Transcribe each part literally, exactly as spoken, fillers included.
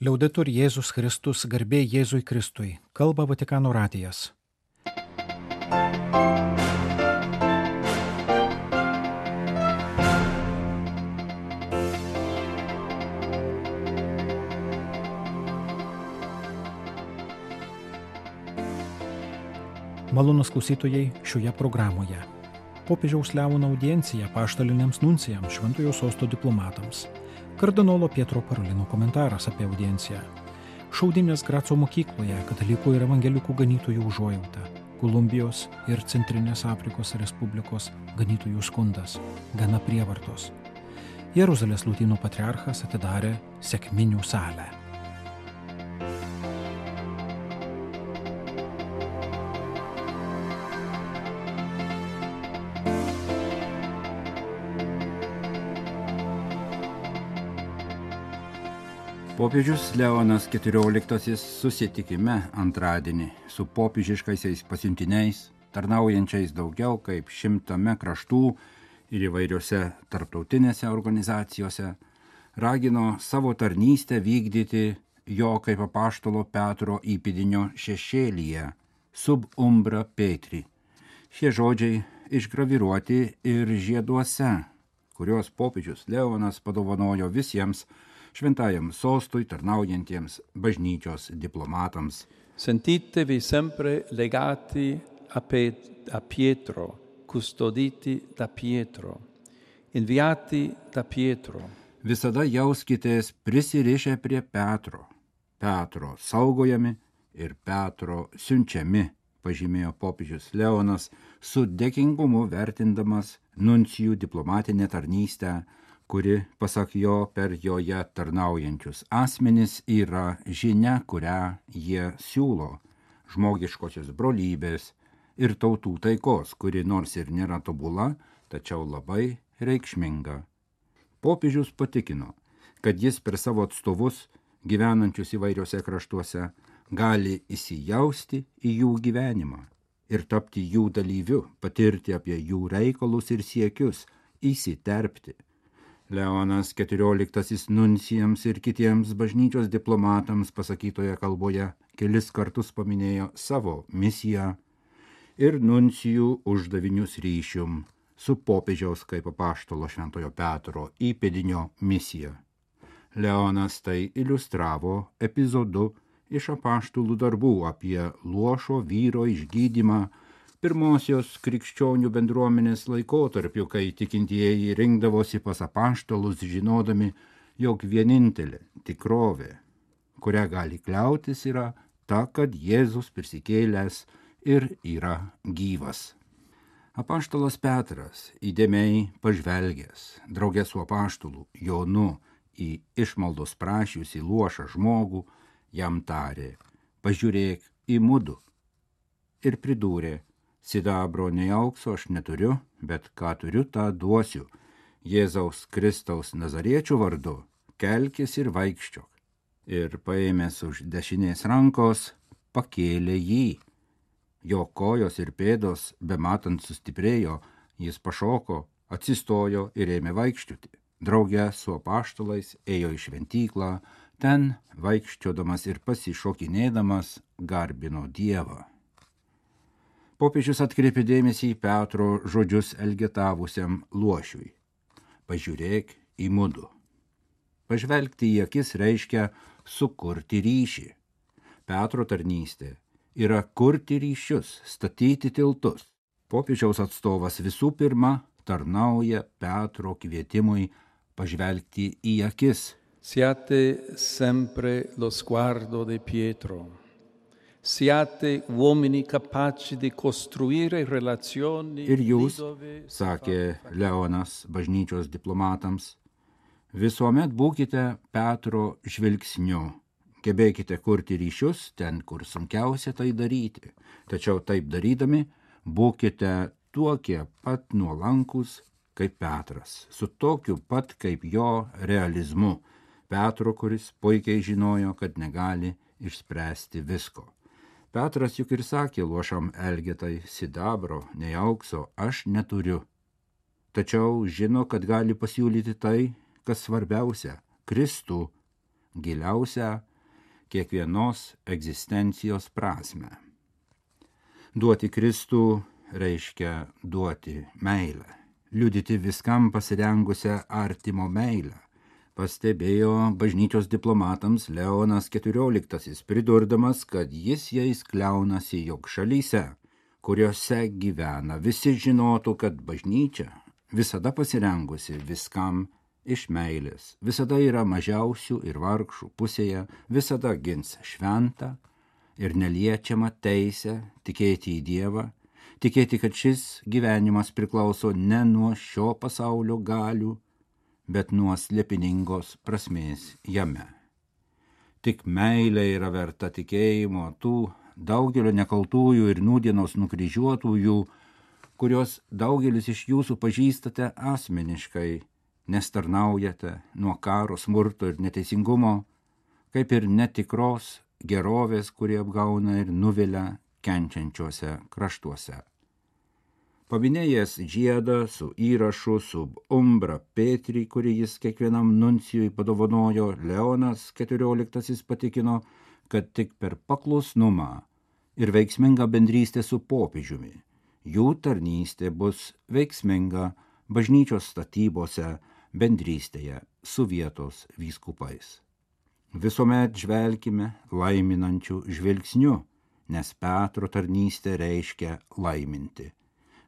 Liaudetur Jėzus Kristus, garbė Jėzui Kristui, kalba Vatikano radijas. Malonūs klausytojai šioje programoje. Popiežiaus Leono audiencija apaštaliniams nuncijams Šventojo Sosto diplomatams. Kardinolo Pietro Parolino komentaras apie audienciją. Šaudynės Graco mokykloje katalikų ir evangelikų ganytojų užuojauta. Kolumbijos ir Centrinės Afrikos Respublikos ganytojų skundas. Gana prievartos. Jeruzalės Lotynų patriarchas atidarė sekminių salę. Popiežius Leonas keturioliktasis susitikime antradienį su popiežiškaisiais pasiuntiniais, tarnaujančiais daugiau kaip šimtame kraštų ir įvairiose tarptautinėse organizacijose, ragino savo tarnystę vykdyti jo kaip apaštalo Petro įpėdinio šešėlyje, sub umbra Petri. Šie žodžiai išgraviruoti ir žieduose, kuriuos popiežius Leonas padovanojo visiems Šventajam Sostui tarnaujantiems bažnyčios diplomatams. Sentitevi sempre legati a, Pet- a Pietro, custoditi da Pietro, inviati da Pietro. Visada jauskitės prisirišę prie Petro, Petro saugojami ir Petro siunčiami, pažymėjo popiežius Leonas, su dėkingumu vertindamas nuncijų diplomatinę tarnystę, kuri, pasak jo, per joje tarnaujančius asmenis yra žinia, kurią jie siūlo, žmogiškosios brolybės ir tautų taikos, kuri nors ir nėra tobula, tačiau labai reikšminga. Popiežius patikino, kad jis per savo atstovus, gyvenančius įvairiose kraštuose, gali įsijausti į jų gyvenimą ir tapti jų dalyviu, patirti apie jų reikalus ir siekius, įsiterpti. Leonas keturioliktasis nuncijams ir kitiems bažnyčios diplomatams pasakytoje kalboje kelis kartus paminėjo savo misiją ir nuncijų uždavinius ryšium su popiežiaus kaip apaštalo Šventojo Petro įpėdinio misija. Leonas tai iliustravo epizodu iš apaštalų darbų apie luošo vyro išgydymą pirmosios krikščionių bendruomenės laikotarpiu, kai tikintieji rinkdavosi pas apaštalus žinodami, jog vienintelė tikrovė, kurią gali kliautis, yra ta, kad Jėzus prisikėlęs ir yra gyvas. Apaštalas Petras, įdėmiai pažvelgęs, draugė su apaštalu Jonu į išmaldos prašiusį luošą žmogų, jam tarė: pažiūrėk į mudu, ir pridūrė: sidabro nei aukso aš neturiu, bet ką turiu, tą duosiu. Jėzaus Kristaus Nazariečio vardu kelkis ir vaikščiok. Ir paėmęs už dešinės rankos, pakėlė jį. Jo kojos ir pėdos, bematant sustiprėjo, jis pašoko, atsistojo ir ėmė vaikščioti. Drauge su apaštalais ėjo į šventyklą, ten vaikščiodamas ir pasišokinėdamas garbino Dievą. Popiežius atkreipė dėmesį į Petro žodžius elgetavusiam luošiui: pažiūrėk į mudu. Pažvelgti į akis reiškia sukurti ryšį. Petro tarnystė yra kurti ryšius, statyti tiltus. Popiežiaus atstovas visų pirma tarnauja Petro kvietimui pažvelgti į akis. Siate sempre lo sguardo di Pietro. Siate uomini capaci di costruire relazioni. Ir jūs, sakė Leonas bažnyčios diplomatams, visuomet būkite Petro žvilgsniu, gebėkite kurti ryšius ten, kur sunkiausia tai daryti, tačiau taip darydami būkite tokie pat nuolankus kaip Petras, su tokiu pat kaip jo realizmu, Petro, kuris puikiai žinojo, kad negali išspręsti visko. Petras juk ir sakė luošam elgetai: sidabro, nei aukso aš neturiu. Tačiau žino, kad gali pasiūlyti tai, kas svarbiausia – Kristų, giliausią kiekvienos egzistencijos prasme. Duoti Kristų reiškia duoti meilę, liudyti viskam pasirengusią artimo meilę, pastebėjo bažnyčios diplomatams Leonas keturioliktasis, pridurdamas, kad jis jais kliaunasi, jog šalyse, kuriuose gyvena, visi žinotų, kad bažnyčia visada pasirengusi viskam iš meilės, visada yra mažiausių ir vargšų pusėje, visada gins šventą ir neliečiamą teisę tikėti į Dievą, tikėti, kad šis gyvenimas priklauso ne nuo šio pasaulio galių, bet nuo slėpiningos prasmės jame. Tik meilė yra verta tikėjimo tų daugelio nekaltųjų ir nūdienos nukryžiuotųjų, kurios daugelis iš jūsų pažįstate asmeniškai, nes tarnaujate nuo karo, smurto ir neteisingumo, kaip ir netikros gerovės, kurie apgauna ir nuvilia kenčiančiuose kraštuose. Paminėjęs žiedą su įrašu sub umbra Petri, kurį jis kiekvienam nuncijui padovanojo, Leonas keturioliktasis patikino, kad tik per paklusnumą ir veiksmingą bendrystę su popiežiumi jų tarnystė bus veiksminga bažnyčios statybose, bendrystėje su vietos vyskupais. Visuomet žvelkime laiminančių žvilgsniu, nes Petro tarnystė reiškia laiminti.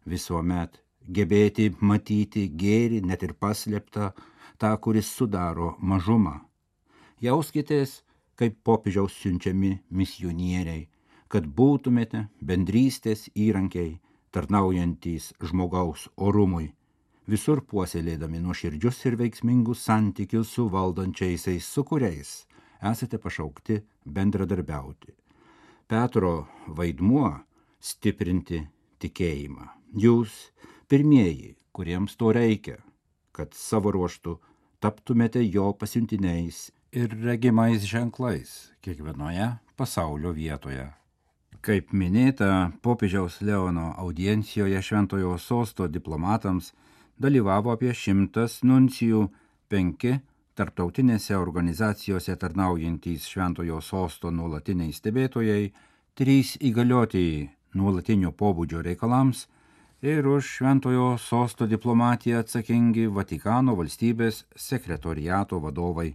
Visuomet gebėti matyti gėrį, net ir paslėptą, tą, kuris sudaro mažumą. Jauskitės, kaip popiežiaus siunčiami misionieriai, kad būtumėte bendrystės įrankiai, tarnaujantys žmogaus orumui, visur puoselėdami nuoširdžius ir veiksmingus santykius su valdančiaisiais, su kuriais esate pašaukti bendradarbiauti. Petro vaidmuo stiprinti tikėjimą. Jūs pirmieji, kuriems to reikia, kad savo ruožtu taptumėte jo pasiuntiniais ir regimais ženklais kiekvienoje pasaulio vietoje. Kaip minėta, popiežiaus Leono audiencijoje Šventojo Sosto diplomatams dalyvavo apie šimtas nuncijų, penki tarptautinėse organizacijose tarnaujantys Šventojo Sosto nuolatiniai stebėtojai, trys įgaliotieji nuolatinio pobūdžio reikalams ir už Šventojo Sosto diplomatiją atsakingi Vatikano valstybės sekretoriato vadovai.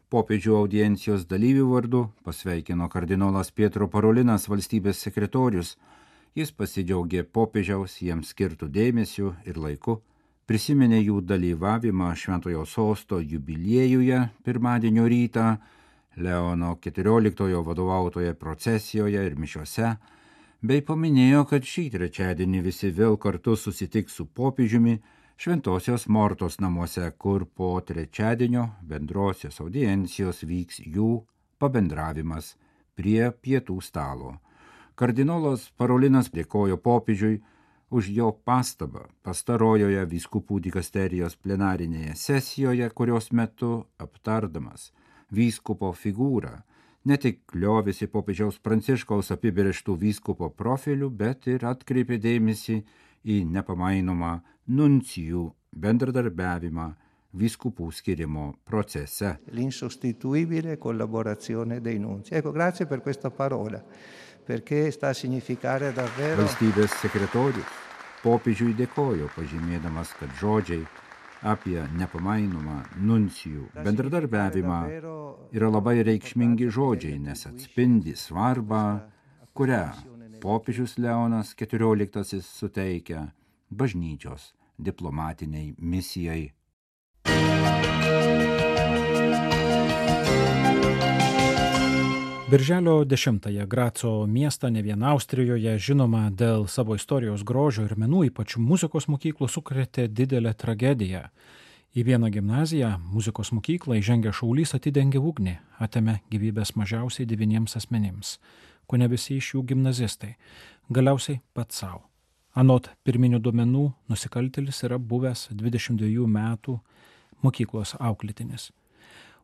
Popiežių audiencijos dalyvių vardu pasveikino kardinolas Pietro Parolinas, valstybės sekretorius. Jis pasidžiaugė popiežiaus jiems skirtų dėmesių ir laiku, prisiminė jų dalyvavimą Šventojo Sosto jubiliejuje pirmadienio rytą, Leono keturioliktojo vadovautoje procesijoje ir mišiose, bei paminėjo, kad šį trečiadienį visi vėl kartu susitiks su popiežiumi Šventosios Mortos namuose, kur po trečiadienio bendrosios audiencijos vyks jų pabendravimas prie pietų stalo. Kardinolas Parolinas dėkojo popiežiui už jo pastabą pastarojoje vyskupų dikasterijos plenarinėje sesijoje, kurios metu aptardamas vyskupo figūrą ne tik liovėsi popiežiaus Pranciškaus apibrėžtų vyskupo profilių, bet ir atkreipė dėmesį į nepamainomą nuncijų bendradarbiavimą vyskupų skirimo procese. L'insostituibile collaborazione dei nunzi. Ecco, grazie per questa parola, perché sta a significare davvero... Valstybės sekretorius popiežiui dėkojo, pažymėdamas, kad žodžiai apie nepamainomą nuncijų bendradarbiavimą yra labai reikšmingi žodžiai, nes atspindi svarbą, kurią popiežius Leonas keturioliktasis suteikia bažnyčios diplomatiniai misijai. Birželio dešimtąją Graco miestą, ne vien Austrijoje, žinoma dėl savo istorijos grožio ir menų, ypač muzikos mokyklų, sukrėtė didelę tragediją. Į vieną gimnaziją, muzikos mokyklą, įžengę šaulys atidengė ugnį, atėmė gyvybės mažiausiai devyniems asmenims, kone visi iš jų gimnazistai, galiausiai pats savo. Anot pirminių duomenų, nusikaltėlis yra buvęs dvidešimt dviejų metų mokyklos auklėtinis.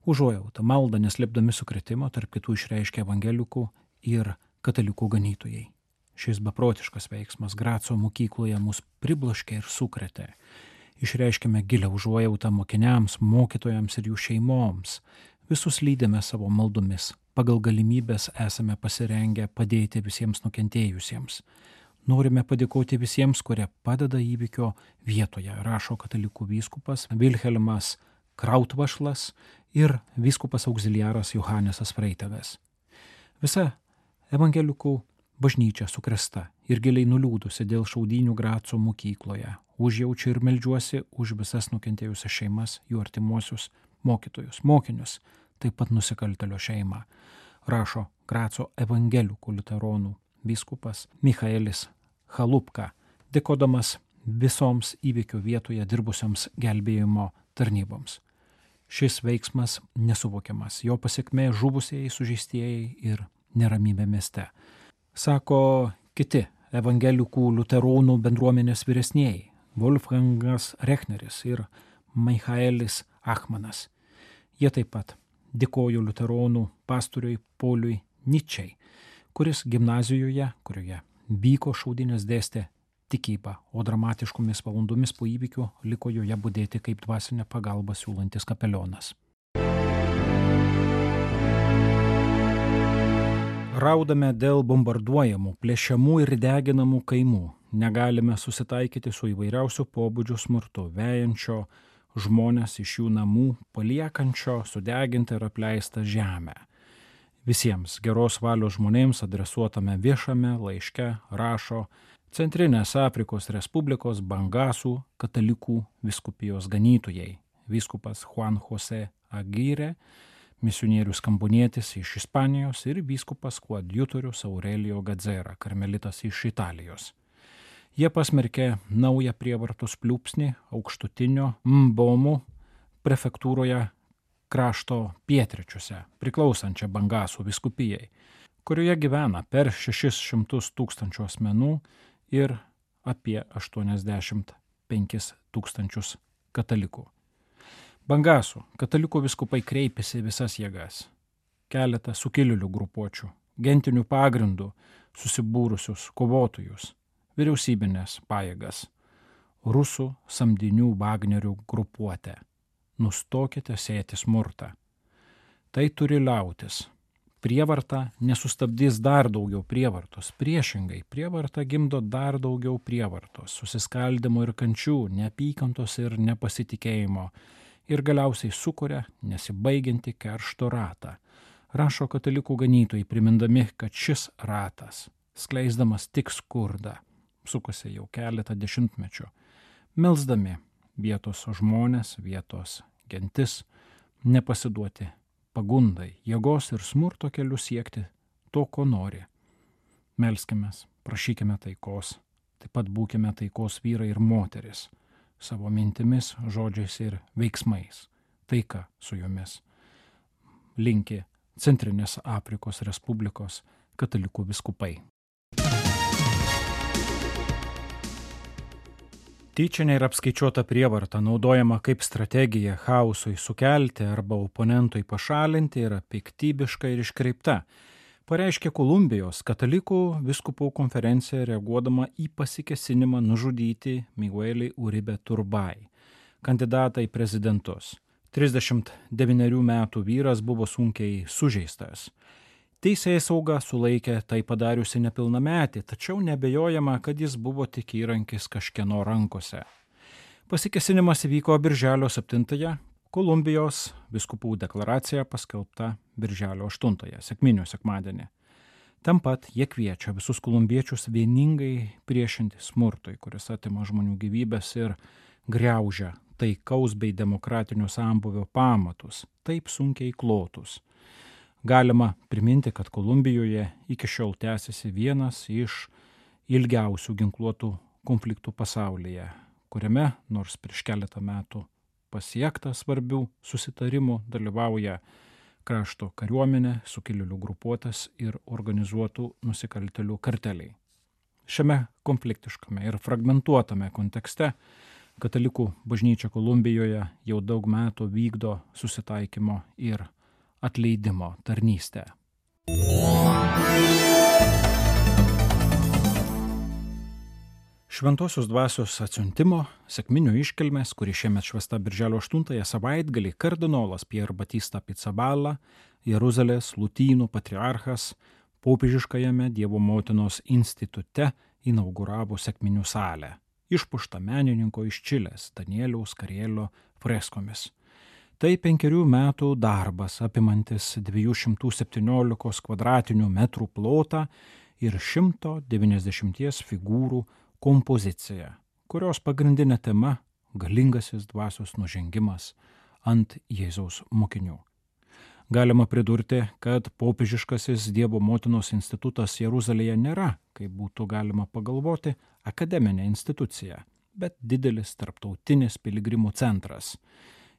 Užuojautą maldą neslėpdami sukrėtimo tarp kitų išreiškė evangelikų ir katalikų ganytojai. Šis beprotiškas veiksmas Graco mokykloje mus pribloškė ir sukrėtė. Išreiškėme gilią užuojautą mokiniams, mokytojams ir jų šeimoms. Visus lydėme savo maldomis pagal galimybės esame pasirengę padėti visiems nukentėjusiems. Norime padėkoti visiems, kurie padeda įvykio vietoje, rašo katalikų vyskupas Vilhelmas Krautvašlas ir vyskupas auxiliaras Johanesas Freitavės. Visa evangelikų bažnyčia sukrėsta ir giliai nuliūdusi dėl šaudynių Graco mokykloje. Užjaučiu ir meldžiuosi už visas nukentėjusias šeimas, jų artimuosius, mokytojus, mokinius, taip pat nusikaltelio šeimą, rašo Graco evangelikų liuteronų vyskupas Michaelis Chalupka, dėkodamas visoms įvykio vietoje dirbusiams gelbėjimo tarnyboms. Šis veiksmas nesuvokiamas, jo pasekmė žuvusieji, sužeistieji ir neramybė mieste. Sako kiti evangelikų liuteronų bendruomenės vyresnieji Wolfgangas Rechneris ir Michaelis Achmanas. Jie taip pat dėkojo liuteronų pastoriui Poliui Ničiai, kuris gimnazijoje, kurioje vyko šaudynės, dėstė tikybą, o dramatiškomis valandomis po įvykių liko joje budėti kaip dvasinę pagalbą siūlantis kapelionas. Raudame dėl bombarduojamų, plėšiamų ir deginamų kaimų. Negalime susitaikyti su įvairiausių pobūdžių smurtu, vejančio žmonės iš jų namų, paliekančio sudegintą ir apleistą žemę. Visiems geros valios žmonėms adresuotame viešame laiške rašo Centrinės Afrikos Respublikos Bangasų katalikų vyskupijos ganytojai, vyskupas Juan José Aguirre, misionierius kambonietis iš Ispanijos ir vyskupas koadjutorius Aurelio Gadzera, karmelitas iš Italijos. Jie pasmerkė naują prievartos pliūpsnį aukštutinio Mbomų prefektūroje krašto pietryčiuose, priklausančią Bangasų vyskupijai, kurioje gyvena per šešis šimtus tūkstančių asmenų ir apie aštuoniasdešimt penkis tūkstančius katalikų. Bangasų katalikų vyskupai kreipėsi visas jėgas. Keletą sukilėlių grupuočių, gentinių pagrindų susibūrusius kovotojus, vyriausybinės pajėgas, rusų samdinių Vagnerių grupuotę. Nustokite sėti smurtą. Tai turi liautis. Prievarta nesustabdys dar daugiau prievartos. Priešingai, prievarta gimdo dar daugiau prievartos, susiskaldimo ir kančių, neapykantos ir nepasitikėjimo ir galiausiai sukuria nesibaigiantį keršto ratą. Rašo katalikų ganytojai, primindami, kad šis ratas, skleisdamas tik skurdą, sukasi jau keletą dešimtmečių, melsdami vietos žmonės, vietos gentis, nepasiduoti pagundai, jėgos ir smurto keliu siekti to, ko nori. Melskimės, prašykime taikos, taip pat būkime taikos vyrai ir moteris, savo mintimis, žodžiais ir veiksmais. Taika su jumis. Linki Centrinės Afrikos Respublikos katalikų vyskupai. Tyčinė ir apskaičiuota prievarta, naudojama kaip strategija chaosui sukelti arba oponentui pašalinti, yra piktybiška ir iškreipta, pareiškė Kolumbijos katalikų vyskupų konferencija reaguodama į pasikėsinimą nužudyti Miguelį Uribe Turbay, kandidatą į prezidentus. trisdešimt devynerių metų vyras buvo sunkiai sužeistas. Teisėsauga sulaikė tai padariusi nepilnametį, tačiau nebejojama, kad jis buvo tik įrankis kažkieno rankose. Pasikėsinimas įvyko birželio septintąją, Kolumbijos vyskupų deklaracija paskelbta birželio aštuntąją, sekminių sekmadienį. Tam pat jie kviečia visus kolumbiečius vieningai priešinti smurtui, kuris atima žmonių gyvybės ir griaužia taikaus bei demokratinio sambūvio pamatus, taip sunkiai klotus. Galima priminti, kad Kolumbijoje iki šiol tęsiasi vienas iš ilgiausių ginkluotų konfliktų pasaulyje, kuriame nors prieš keletą metų pasiekta svarbių susitarimų dalyvauja krašto kariuomenė, sukilėlių grupuotės ir organizuotų nusikaltėlių karteliai. Šiame konfliktiškame ir fragmentuotame kontekste katalikų bažnyčia Kolumbijoje jau daug metų vykdo susitaikymo ir atleidimo tarnystę. Šventosios dvasios atsiuntimo sekminių iškilmės, kuri šiemet švęsta birželio aštuntąją savaitgalį, kardinolas Pier Batista Pizzaballa Jeruzalės Lotynų patriarchas popiežiškajame Dievo motinos institute inauguravo sekminių salę, išpuoštą menininko iš Čilės Danieliaus Karėlio freskomis. Tai penkerių metų darbas apimantis dviejų šimtų septyniolikos kvadratinių metrų plotą ir šimto devyniasdešimties figūrų kompoziciją, kurios pagrindinė tema – galingasis dvasios nužengimas ant Jėzaus mokinių. Galima pridurti, kad popiežiškasis Dievo motinos institutas Jeruzalėje nėra, kaip būtų galima pagalvoti, akademinė institucija, bet didelis tarptautinis piligrimų centras,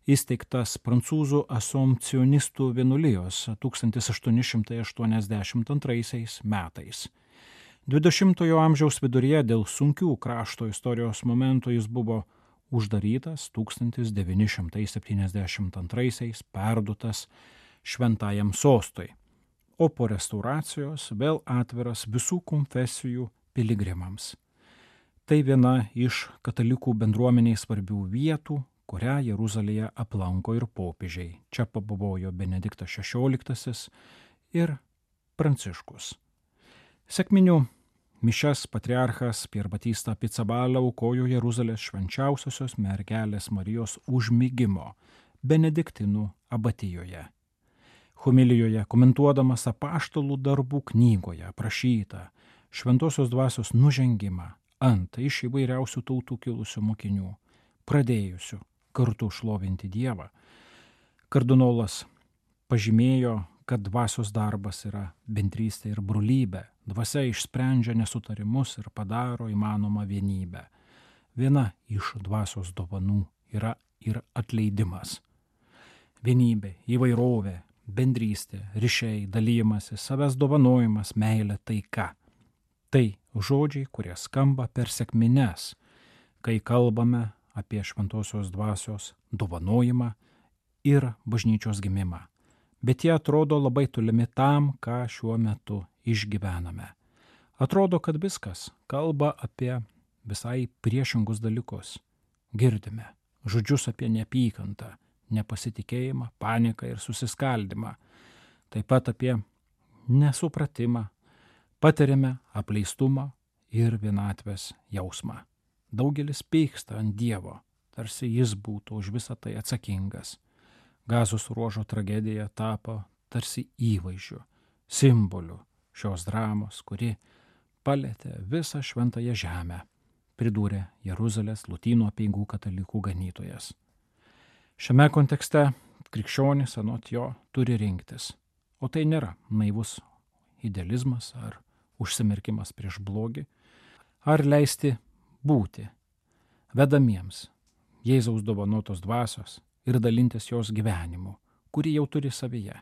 įsteigtas prancūzų asompcionistų vienuolijos tūkstantis aštuoni šimtai aštuoniasdešimt antraisiais metais. dvidešimtojo amžiaus viduryje dėl sunkių krašto istorijos momentų jis buvo uždarytas, tūkstantis devyni šimtai septyniasdešimt antraisiais perduotas Šventajam sostui, o po restauracijos vėl atviras visų konfesijų piligrimams. Tai viena iš katalikų bendruomeniai svarbių vietų, kurią Jeruzalėje aplanko ir popiežiai. Čia pabuvojo Benediktas šešioliktasis ir Pranciškus. Sekminių mišias patriarchas Pier Batista Pizzaballa aukojo Jeruzalės švenčiausiosios mergelės Marijos užmigimo Benediktinų abatijoje. Homilijoje, komentuodamas apaštalų darbų knygoje aprašytą šventosios dvasios nužengimą ant iš įvairiausių tautų kilusių mokinių, pradėjusių kartu šlovinti Dievą, kardinolas pažymėjo, kad dvasios darbas yra bendrystė ir brolybė, dvasia išsprendžia nesutarimus ir padaro įmanomą vienybę. Viena iš dvasios dovanų yra ir atleidimas. Vienybė, įvairovė, bendrystė, ryšiai, dalymasis, savęs dovanojimas, meilė, taika. Tai žodžiai, kurie skamba per sekmines, kai kalbame apie šventosios dvasios dovanojimą ir bažnyčios gimimą. Bet jie atrodo labai tolimi tam, ką šiuo metu išgyvename. Atrodo, kad viskas kalba apie visai priešingus dalykus. Girdime žodžius apie neapykantą, nepasitikėjimą, paniką ir susiskaldimą, taip pat apie nesupratimą, patiriame apleistumą ir vienatvės jausmą. Daugelis pyksta ant Dievo, tarsi jis būtų už visą tai atsakingas. Gazos ruožo tragedija tapo tarsi įvaizdžiu, simboliu šios dramos, kuri palietė visą šventąją žemę, pridūrė Jeruzalės Lotynų apeigų katalikų ganytojas. Šiame kontekste krikščionis anot jo turi rinktis, o tai nėra naivus idealizmas ar užsimerkimas prieš blogį, ar leisti būti vedamiems Jėzaus dovanotos dvasios ir dalintis jos gyvenimu, kurį jau turi savyje,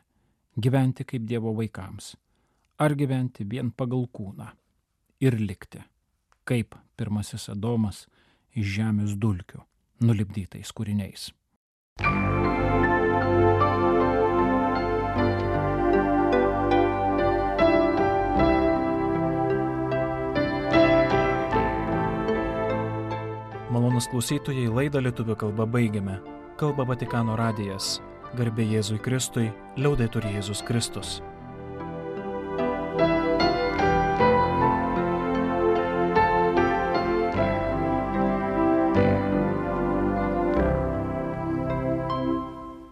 gyventi kaip Dievo vaikams, ar gyventi vien pagal kūną ir likti, kaip pirmasis Adomas iš žemės dulkių, nulipdytais kūriniais. Malonūs klausytojai, laidą lietuvių kalba baigiame. Kalba Vatikano radijas. Garbė Jėzui Kristui, liaudetur Jėzus Kristus.